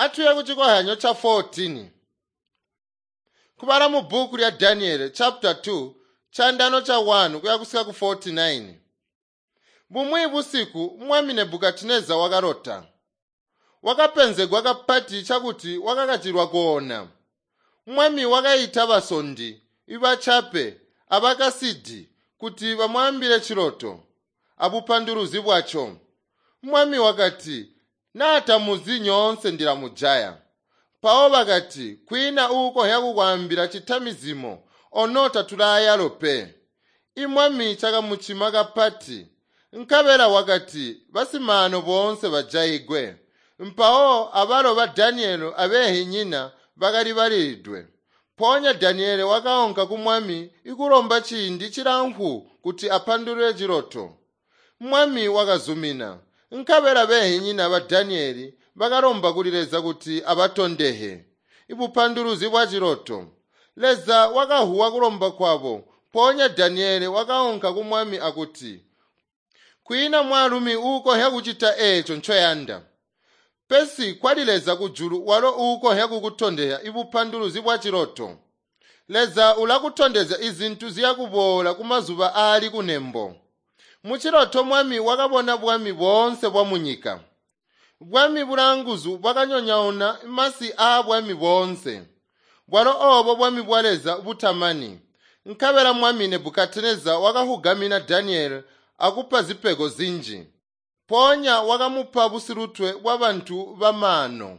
Atuye kucikozyanyo ca 14. Kubala mu bbuku lya Daniele chapter 2 chandano cha 1 kuya kusika ku 49. Bumwi busiku mwami Nebukadineza wakalota. Wakapenzegwa kapati cakuti wakakachilwa koona. Mwami wakaita basondi, ibachape, abakasidi kuti bamwambile chiloto abupanduluzi bwacho. Mwami wakati, "Naatamuzi nyoonse ndilamujaya." Mpawo bakati, "Kwiina uukonzya kukwaambila cita mizimo, ono tatulaayalo pe." Imwami cakamucima kapati. Nkabela wakati, "Basimaano boonse bajayigwe." Mpawo abalo ba Daniele abeehinyina bakali balilidwe. Mpoonya Daniele wakaunka ku mwami ikulomba ciindi cilamfu kuti apandulule ciloto. Mwami wakazumina. Nkabela beehinyina ba Daniele bakalomba kuli Leza kuti abatondehe ibupanduluzi bwa ciloto. Leza wakahuwa kulomba kwabo. Mpoonya Daniele wakaunka ku mwami akuti, "Kwiina mwaalumi uukonzya kucita eeco ncoyanda. Pesi kwali Leza kujulu walo uukonzya kukutondezya ibupanduluzi bwa ciloto. Leza ulakutondezya izintu ziyakuboola kumazuba aali kunembo." Muchiloto mwami wakabona bwami boonse bwamunyika. Bwami bulanguzu bwakanyonyauna masi aabwami boonse. Bwalo oobo bwami bwa Leza butamani. Nkabela mwami Nebukadineza wakahugamina Daniele akupa zipego zinji. Mpoonya wakamupa busilutwe bwabantu bamaano.